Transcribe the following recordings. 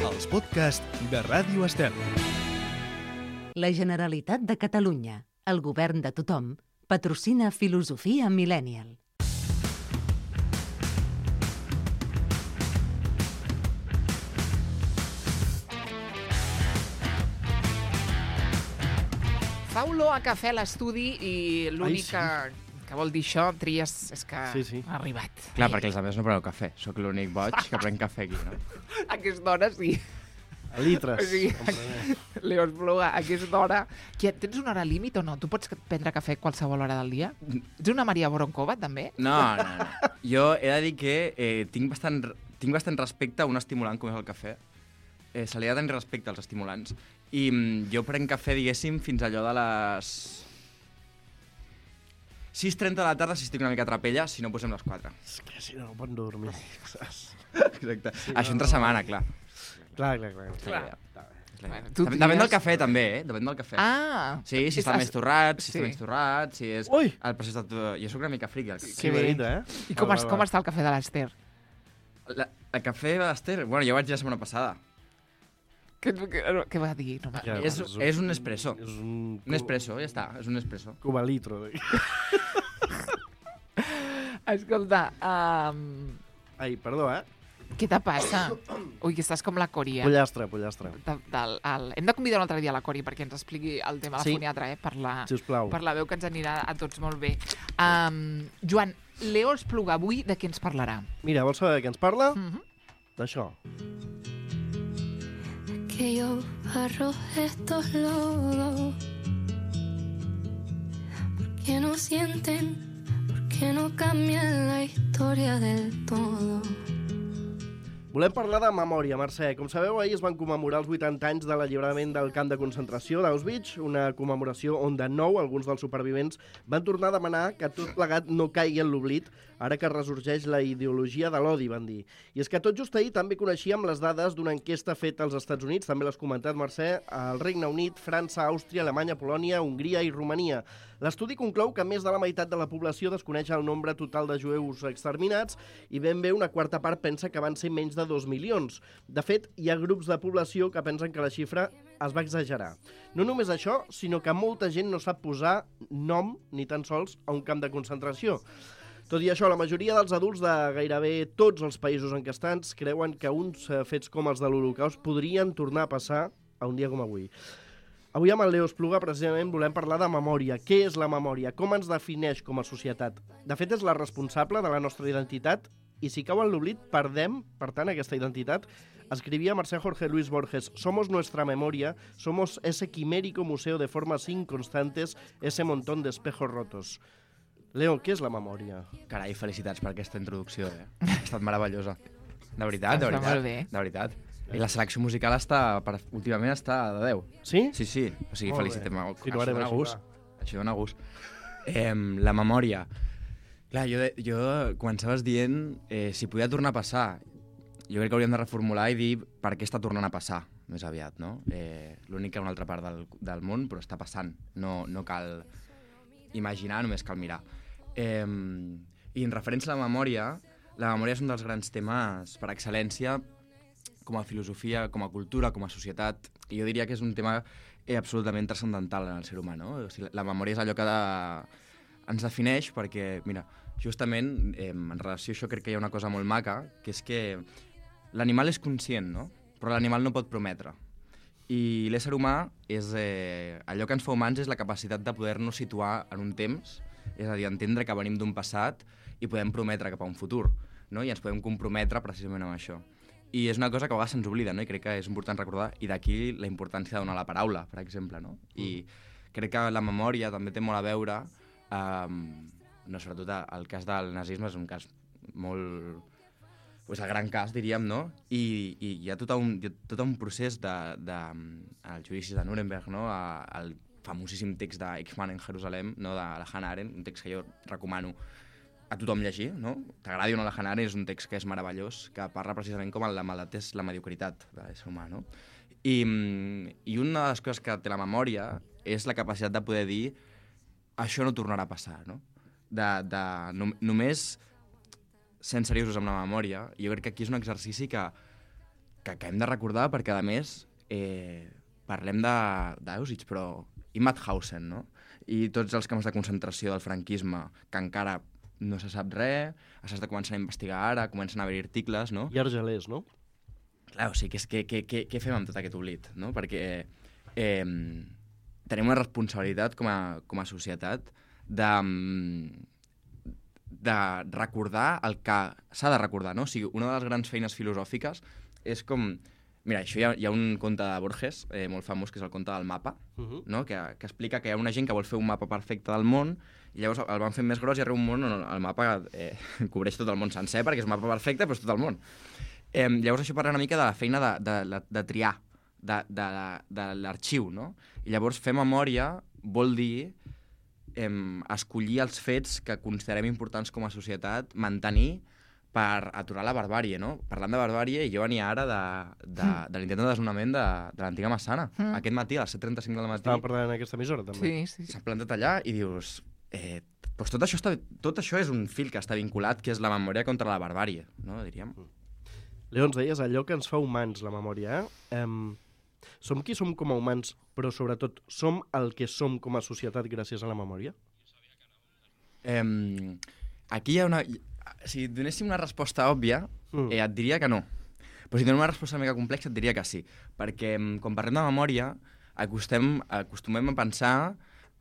els podcasts de Ràdio Estel. La Generalitat de Catalunya, el govern de tothom, patrocina Filosofia Millennial. Fa olor a cafè a l'estudi i l'únic que vol dir això, Tries, és que ha arribat. Clar, perquè els altres no preneu cafè. Soc l'únic boig que pren cafè aquí, no? A aquesta hora sí. A litres. O sigui, Leo Espluga, a aquesta hora... Tens una hora límit o no? Tu pots prendre cafè a qualsevol hora del dia? Ets una Maria Voronkova, també? No. Jo he de dir que tinc bastant respecte a un estimulant com és el cafè. Se li ha de tenir respecte als estimulants. I jo prenc cafè, diguéssim, fins allò de les 6:30 de la tarda si estic una mica a trapella, si no posem les 4. És que si no pot dormir. Exacte. Sí, això entre setmana, clar. Clar. Depèn del cafè, també, Depèn del cafè. Ah! Sí, si està més torrat, si està menys torrat, si és... Ui! El procés de... Jo soc una mica friqui. Que bé. I com està el cafè de l'Ester? El cafè de l'Ester... Bueno, jo vaig la setmana passada. Què va dir? No, És un espresso. És un espresso, ja està. És un espresso. Cubalitro. Escolta, Ai, perdó, què te passa? Ui, que estàs com la Cori, Pollastre. Hem de convidar un altre dia la Cori perquè ens expliqui el tema de la foniatra, Sisplau. per la veu que ens anirà a tots molt bé. Joan, Leo Espluga, avui de què ens parlarà? Mira, vols saber de què ens parla? D'això. Aquellos barros, estos lodos, ¿por qué no sienten? ¿Por qué no cambian la historia del todo? Volem parlar de memòria, Mercè. Com sabeu, ahir es van commemorar els 80 anys de l'alliberament del camp de concentració d'Auschwitz, una commemoració on de nou alguns dels supervivents van tornar a demanar que tot plegat no caigui en l'oblit, ara que ressorgeix la ideologia de l'odi, van dir. I és que tot just ahir també coneixíem les dades d'una enquesta feta als Estats Units, també l'has comentat, Mercè, al Regne Unit, França, Àustria, Alemanya, Polònia, Hongria i Romania. L'estudi conclou que més de la meitat de la població desconeix el nombre total de jueus exterminats i ben bé una quarta part pensa que van ser menys de 2 milions. De fet, hi ha grups de població que pensen que la xifra es va exagerar. No només això, sinó que molta gent no sap posar nom ni tan sols a un camp de concentració. Tot i això, la majoria dels adults de gairebé tots els països encastats creuen que uns fets com els de l'Holocaust podrien tornar a passar a un dia com avui. Avui amb el Leo Espluga, precisament, volem parlar de memòria. Què és la memòria? Com ens defineix com a societat? De fet, és la responsable de la nostra identitat i si cau en l'oblit, perdem, per tant, aquesta identitat. Escrivia Mercè Jorge Luis Borges: «Somos nuestra memoria, somos ese quimérico museo de formas inconstantes, ese montón de espejos rotos». Leo, què és la memòria? Carai, felicitats per aquesta introducció, Ha estat meravellosa. De veritat. Molt bé. De veritat. I la selecció musical últimament està de 10. Sí? Sí. O sigui, felicitem. Això dona gust. Això dona gust. La memòria. Clar, jo començaves dient si podia tornar a passar. Jo crec que hauríem de reformular i dir per què està tornant a passar, més aviat, no? L'únic que una altra part del món, però està passant. No cal imaginar, només cal mirar. I en referència a la memòria és un dels grans temes per excel·lència com a filosofia, com a cultura, com a societat, i jo diria que és un tema absolutament transcendental en el ser humà, no? O sigui, la memòria és allò que ens defineix perquè, mira, justament en relació a això crec que hi ha una cosa molt maca, que és que l'animal és conscient, no? Però l'animal no pot prometre. I l'ésser humà és... allò que ens fa humans és la capacitat de poder-nos situar en un temps, és a dir, entendre que venim d'un passat i podem prometre cap a un futur, no? I ens podem comprometre precisament amb això. I és una cosa que a vegades se'ns oblida, no? I crec que és important recordar, i d'aquí la importància de donar la paraula, per exemple, no? I crec que la memòria també té molt a veure, sobretot el cas del nazisme és un cas molt... Pues el gran cas, diríem, no? I hi ha tot un procés als judicis de Nuremberg, no? El famosíssim text d'Eichmann en Jerusalem, no? De la Hannah Arendt, un text que jo recomano a tothom llegir, no? T'agradi o no la Hannah Arendt, és un text que és meravellós, que parla precisament com la maldat és la mediocritat de l'ésser humà, no? I una de les coses que té la memòria és la capacitat de poder dir això no tornarà a passar, no? Només sent seriosos amb la memòria, jo crec que aquí és un exercici que hem de recordar perquè, a més, parlem d'Auschwitz, però i Mauthausen, no? I tots els camps de concentració del franquisme, que encara no se sap res, s'està començant a investigar ara, comencen a haver articles, no? I Argelers, no? Clar, o sigui, què fem amb tot aquest oblit, no? Perquè tenim una responsabilitat com a societat de recordar el que s'ha de recordar, no? O sigui, una de les grans feines filosòfiques és com... Mira, això hi ha un conte de Borges molt famós, que és el conte del mapa, no? que explica que hi ha una gent que vol fer un mapa perfecte del món i llavors el van fent més gros i arriba un món on el mapa cobreix tot el món sencer perquè és un mapa perfecte, però és tot el món. Llavors això parla una mica de la feina de triar, de l'arxiu, no? I llavors fer memòria vol dir escollir els fets que considerem importants com a societat, mantenir per aturar la barbàrie, no? Parlant de barbàrie, jo venia ara de l'intent de desnonament de l'antiga Massana. Aquest matí, a les 7:35 del matí... Estava parlant en aquesta emissora, també. Sí. S'ha plantat allà i dius... Doncs tot això és un fil que està vinculat, que és la memòria contra la barbàrie, no? Diríem. Leo, ens deies allò que ens fa humans, la memòria, som qui som com a humans, però sobretot som el que som com a societat gràcies a la memòria? Aquí hi ha una... Si donéssim una resposta òbvia, et diria que no. Però si donem una resposta una mica complexa, et diria que sí. Perquè quan parlem de memòria, acostumem a pensar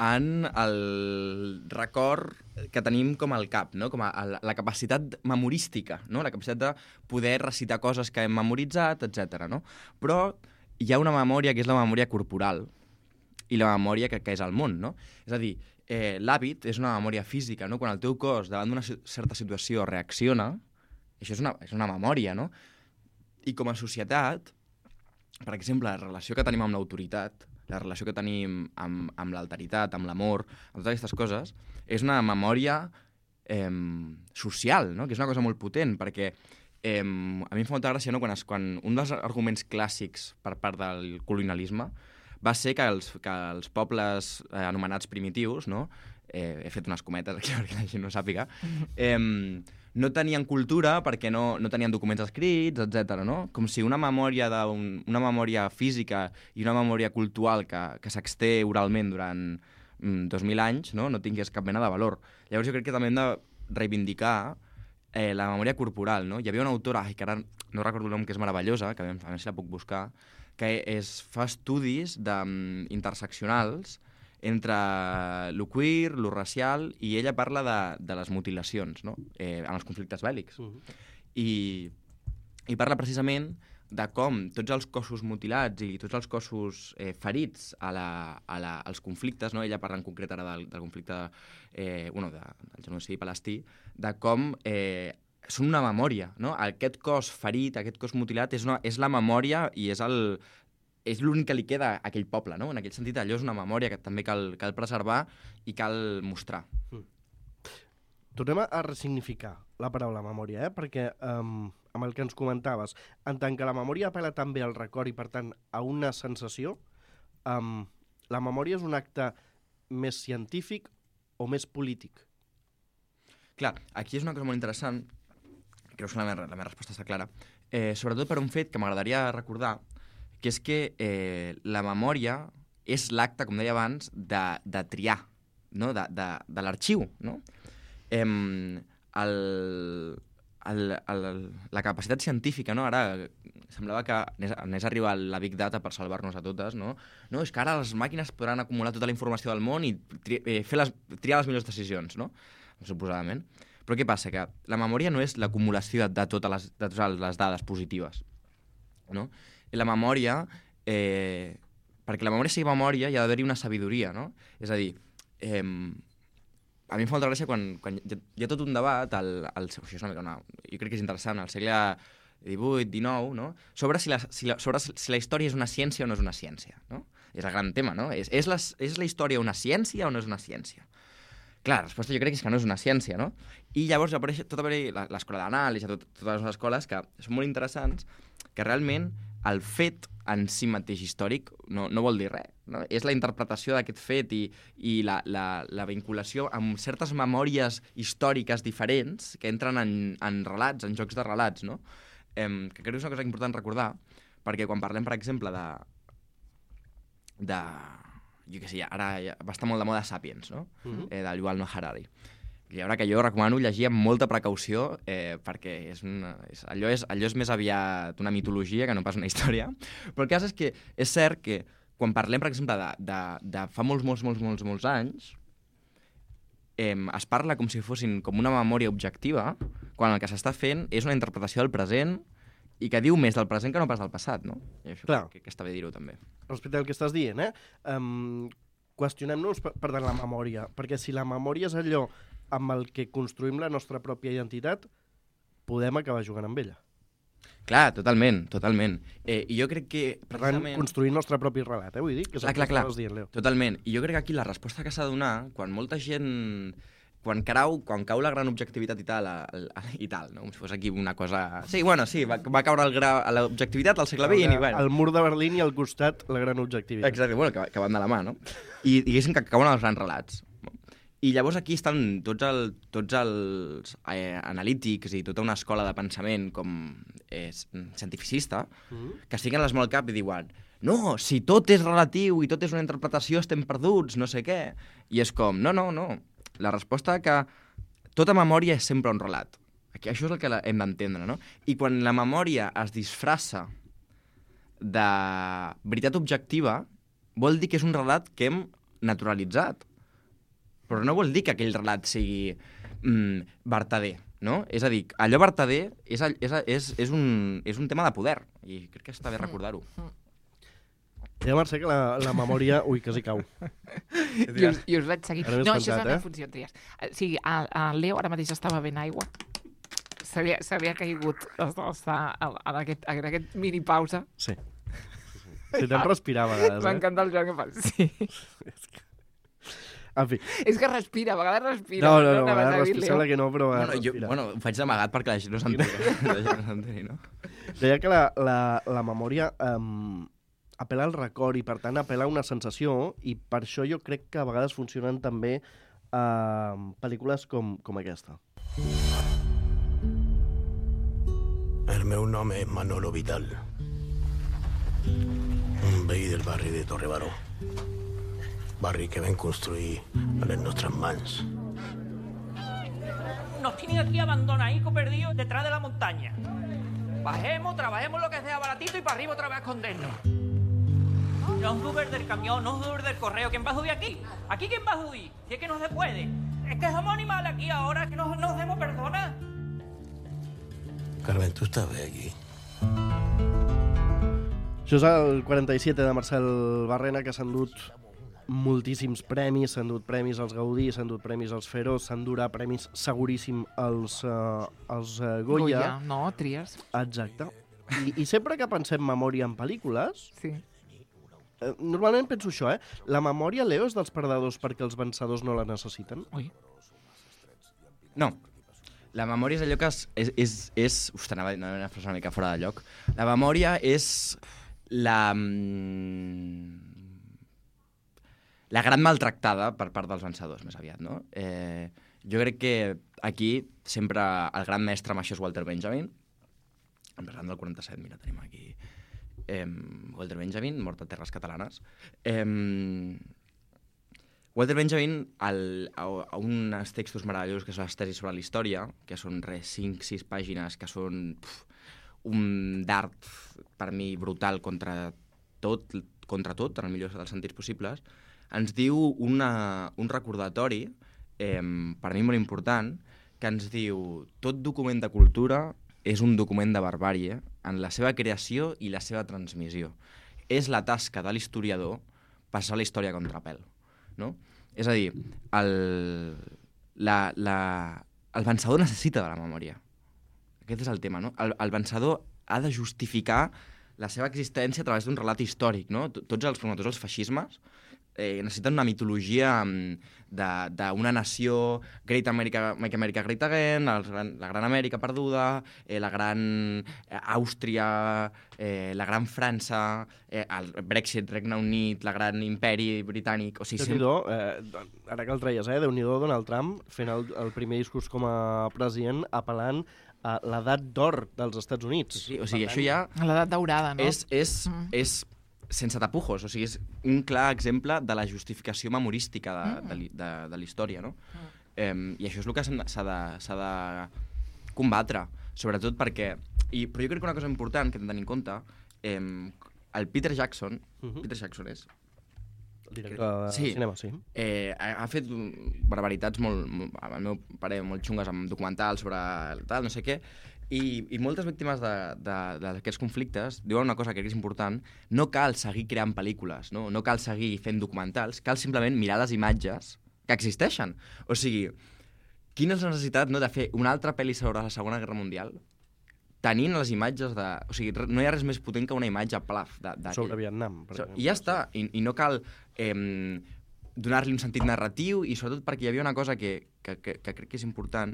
en el record que tenim com al cap, no? Com la capacitat memorística, no? La capacitat de poder recitar coses que hem memoritzat, etc. No? Però hi ha una memòria que és la memòria corporal i la memòria que és el món, no? És a dir, l'hàbit és una memòria física, no? Quan el teu cos davant d'una certa situació reacciona, això és una memòria, no? I com a societat, per exemple, la relació que tenim amb l'autoritat, la relació que tenim amb l'alteritat, amb l'amor, amb totes aquestes coses, és una memòria social, no? Que és una cosa molt potent, perquè a mi em fa molta gràcia, no? Quan un dels arguments clàssics per part del colonialisme va ser que els pobles anomenats primitius, no? He fet unes cometes aquí perquè la gent no sàpiga, no tenien cultura perquè no tenien documents escrits, etc. No? Com si una memòria física i una memòria cultural que s'exté oralment durant 2.000 anys no tingués cap mena de valor. Llavors jo crec que també hem de reivindicar la memòria corporal. No? Hi havia una autora, que ara no recordo el nom, que és meravellosa, que a veure si la puc buscar, que fa estudis interseccionals entre lo queer, lo racial, i ella parla de les mutilacions, no? En els conflictes bèl·lics. I parla precisament de com tots els cossos mutilats i tots els cossos ferits als conflictes, no? Ella parla en concret ara del conflicte del genocidi palestí, de com són una memòria, no? Aquest cos ferit, aquest cos mutilat és la memòria i és l'únic que li queda a aquell poble, no? En aquell sentit, allò és una memòria que també cal preservar i cal mostrar. Tornem a ressignificar la paraula memòria, perquè amb el que ens comentaves, en tant que la memòria apel·la també al record i, per tant, a una sensació, la memòria és un acte més científic o més polític? Clar, aquí és una cosa molt interessant, crec que la meva resposta està clara, sobretot per un fet que m'agradaria recordar, que és que la memòria és l'acte, com deia abans, de triar, no? de l'arxiu. No? La capacitat científica, no? Ara semblava que anés a arribar la Big Data per salvar-nos a totes, no? No, és que ara les màquines podran acumular tota la informació del món i triar les millors decisions, no? Suposadament. Però què passa? Que la memòria no és l'acumulació de totes les dades positives, no? La memòria, perquè la memòria sigui memòria, hi ha d'haver-hi una sabidoria, no? És a dir, a mi em fa molta gràcia quan hi ha tot un debat, això és una mica jo crec que és interessant, al segle XVIII, XIX, no? Sobre si la història és una ciència o no és una ciència, no? És el gran tema, no? És la història una ciència o no és una ciència? Clar, la resposta jo crec que és que no és una ciència, no? I llavors apareix l'escola d'anàlisi, totes les noves escoles que són molt interessants, que realment el fet en si mateix històric no vol dir res. No? És la interpretació d'aquest fet i la vinculació amb certes memòries històriques diferents que entren en relats, en jocs de relats, no? que crec que és una cosa important recordar, perquè quan parlem, per exemple, jo què sé, ara va estar molt de moda Sapiens, no? De Yuval Noah Harari. Llibre que jo recomano llegir amb molta precaució perquè allò és més aviat una mitologia que no pas una història. Però el cas és que és cert que quan parlem, per exemple, de fa molts anys, es parla com si fossin com una memòria objectiva, quan el que s'està fent és una interpretació del present i que diu més del present que no pas del passat, no? I això crec que està bé dir-ho també. Respecte al que estàs dient, qüestionem-nos, per tant, la memòria, perquè si la memòria és allò amb el que construïm la nostra pròpia identitat, podem acabar jugant amb ella. Clar, totalment. I jo crec que... precisament... construir el nostre propi relat, vull dir? Que és el que estaves dient, Leo. Totalment. I jo crec que aquí la resposta que s'ha de donar, quan molta gent... Quan cau la gran objectivitat i tal, no? Com si fos aquí una cosa... Sí, va caure l'objectivitat al segle XX i bueno... El mur de Berlín i al costat la gran objectivitat. Exacte, bueno, que van de la mà, no? I diguéssim que cauen els grans relats. I llavors aquí estan tots els analítics i tota una escola de pensament com cientificista que estiguen les molt al cap i diuen no, si tot és relatiu i tot és una interpretació estem perduts, no sé què. I és com, no. La resposta que tota memòria és sempre un relat. Aquí, això és el que hem d'entendre, no? I quan la memòria es disfressa de veritat objectiva, vol dir que és un relat que hem naturalitzat. Però no vol dir que aquell relat sigui vertader, no? És a dir, allò vertader és un tema de poder, i crec que està bé recordar-ho. Ja, Mercè, que la memòria... Ui, quasi cau. I us vaig seguir. No, això és la meva funció, Trias. O sigui, el Leo ara mateix estava bevent aigua. S'havia caigut en aquest mini pausa. Sí. Si te'n respirar a vegades, M'encanta el joc que fas. Sí. En fi. És que respira, a vegades respira. No, a vegades respira, sembla que no, però a vegades respira. Ho faig d'amagat perquè la gent no s'entén, no? Deia que la memòria apel·la al record i, per tant, apel·la a una sensació, i per això jo crec que a vegades funcionen també pel·lícules com aquesta. El meu nom és Manolo Vital, un veí del barri de Torrebaró. Barri que vam construir a les nostres mans. Nos tienen aquí abandonaditos, perdidos detrás de la montaña. Bajemos, trabajemos lo que sea baratito y para arriba otra vez a escondernos. No es Uber del camión, no es Uber del correo. ¿Quién va a subir aquí? ¿Aquí quién va a subir? Si es que no se puede. Es que somos animales aquí ahora, que no hacemos personas. Carmen, tu estàs bé aquí? Això és el 47 de Marcel Barrena, que s'ha endut moltíssims premis, s'han dut premis als Gaudí, s'han dut premis als Feroz, s'han durà premis seguríssim als Goya. No, Trias. Exacte. I sempre que pensem memòria en pel·lícules, sí. Normalment penso això, la memòria, Leo, és dels perdedors perquè els vencedors no la necessiten? Ui. No. La memòria és allò que és... Uf, anava una frase una mica fora de lloc. La memòria és la gran maltractada per part dels vencedors, més aviat, no? Jo crec que aquí sempre el gran mestre amb això és Walter Benjamin. Parlant del 47, mira, tenim aquí Walter Benjamin, mort a terres catalanes. Walter Benjamin, a uns textos meravellosos que són les tesis sobre la història, que són 5-6 pàgines, que són un dart, per mi, brutal contra tot, en el millor dels sentits possibles, ens diu un recordatori, per mi molt important, que ens diu tot document de cultura és un document de barbàrie en la seva creació i la seva transmissió. És la tasca de l'historiador passar la història a contrapèl. No? És a dir, el vencedor necessita de la memòria. Aquest és el tema, no? El vencedor ha de justificar la seva existència a través d'un relat històric, no? Tots els feixismes necessiten una mitologia d'una nació, Great America, Make America Great Again, la gran Amèrica perduda, la gran Àustria, la gran França, el Brexit, Regne Unit, la gran imperi britànic... O sigui, Déu-n'hi-do, ara que el treies, Déu-n'hi-do Donald Trump fent el primer discurs com a president apel·lant l'edat d'or dels Estats Units. Sí, o sigui, això ja... L'edat daurada, no? És sense tapujos, o sigui, és un clar exemple de la justificació memorística de la història, no? I això és el que s'ha de combatre, sobretot perquè... Però jo crec que una cosa important que hem de tenir en compte, el Peter Jackson és... El director de cinema, sí. Ha fet barbaritats al meu parer, molt xungues amb documentals sobre tal, no sé què, i moltes víctimes d'aquests conflictes diuen una cosa que crec que és important: no cal seguir creant pel·lícules, no cal seguir fent documentals, cal simplement mirar les imatges que existeixen. O sigui, quina és la necessitat de fer una altra pel·li sobre la Segona Guerra Mundial tenint les imatges de... O sigui, no hi ha res més potent que una imatge plaf. Sobre Vietnam, per exemple. I ja està. I no cal donar-li un sentit narratiu, i sobretot perquè hi havia una cosa que crec que és important,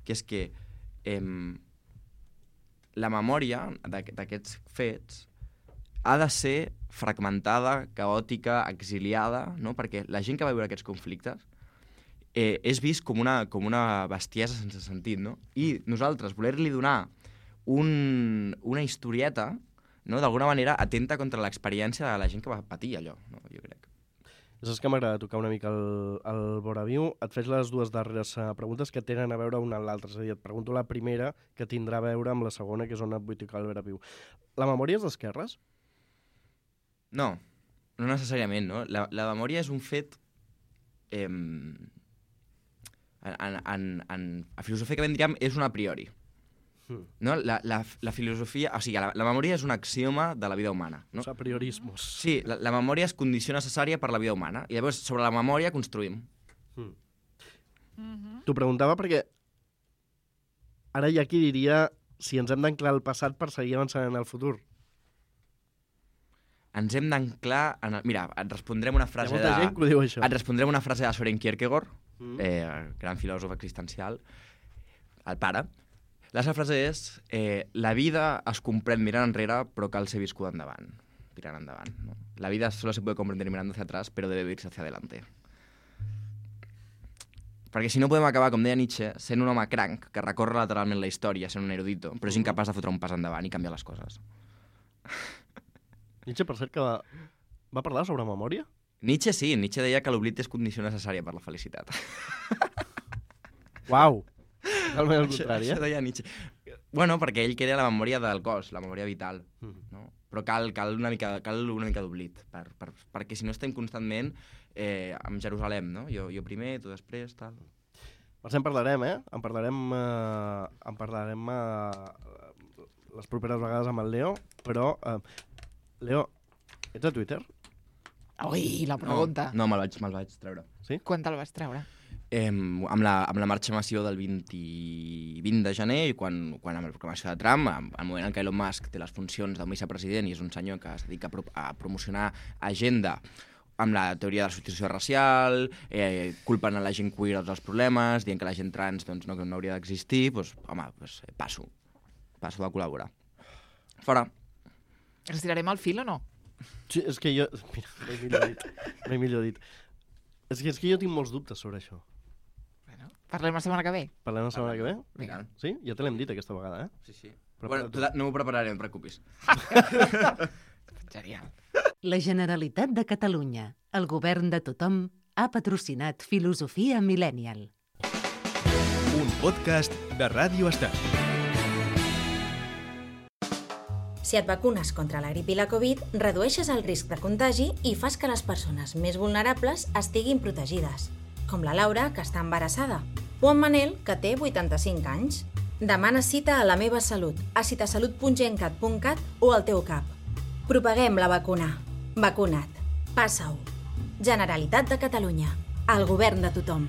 que és que la memòria d'aquests fets ha de ser fragmentada, caòtica, exiliada, no? Perquè la gent que va viure aquests conflictes és vist com una bestiesa sense sentit, no? I nosaltres voler-li donar una historieta, no? D'alguna manera atenta contra l'experiència de la gent que va patir allò, no? Jo crec. Saps que m'agrada tocar una mica el voraviu? Et faig les dues darreres preguntes que tenen a veure una amb l'altra. És a dir, et pregunto la primera, que tindrà a veure amb la segona, que és on et vull tocar el voraviu. La memòria és d'esquerres? No necessàriament, no? La memòria és un fet... filosòficament diríem, és un a priori. No? La filosofia... O sigui, la memòria és un axioma de la vida humana. No? Els apriorismos. Sí, la memòria és condició necessària per la vida humana. I llavors, sobre la memòria, construïm. T'ho preguntava perquè ara hi ha qui diria si ens hem d'anclar al passat per seguir avançant en el futur. Ens hem d'anclar... Mira, et respondrem una frase Hi ha molta gent que ho diu, això. Et respondrem una frase de Søren Kierkegaard, gran filòsof existencial, el pare. La seva frase és: la vida es comprèn mirant enrere, però cal ser viscuda endavant, tirant endavant. ¿No? La vida solo se puede comprender mirando hacia atrás, pero debe vivirse hacia adelante. Perquè si no podem acabar, com deia Nietzsche, sent un home cranc que recorre lateralment la història, sent un erudito, però és incapaç de fotre un pas endavant i canviar les coses. Nietzsche, per cert, que va parlar sobre memòria? Nietzsche sí, Nietzsche deia que l'oblit és condició necessària per la felicitat. Uau! Totalment al contrari, Això deia Nietzsche. Bueno, perquè ell queria la memòria del cos, la memòria vital, no? Però cal una mica d'oblit, perquè si no estem constantment amb Jerusalem, no? Jo primer, tu després, tal. Per en parlarem, En parlarem les properes vegades amb el Leo, però... Leo, ets a Twitter? Ui, la pregunta. No, me'l vaig treure. Sí? Quan te'l vas treure? Amb la marxa massiva del 20 de gener i quan amb la proclamació de Trump, al moment en què Elon Musk té les funcions de vicepresident i és un senyor que es dedica a promocionar agenda amb la teoria de la substitució racial, culpant a la gent queer dels problemes, dient que la gent trans doncs, no hauria d'existir, doncs, home, passo de col·laborar. Fora. Ens tirarem al fil o no? Sí, és que jo... Mira, mai millor dit. És que jo tinc molts dubtes sobre això. Bueno, parlem la setmana que ve. Parlem la setmana que ve? Vinga. Sí? Ja te l'hem dit aquesta vegada, Sí. Bueno, no m'ho prepararé, no et preocupis. Genial. La Generalitat de Catalunya, el govern de tothom, ha patrocinat Filosofia Millennial. Un podcast de Ràdio Estel. Si et vacunes contra la grip i la Covid, redueixes el risc de contagi i fas que les persones més vulnerables estiguin protegides, com la Laura, que està embarassada, o en Manel, que té 85 anys. Demana cita a La Meva Salut, a citasalut.gencat.cat o al teu CAP. Propaguem la vacuna. Vacuna't. Passa-ho. Generalitat de Catalunya. El govern de tothom.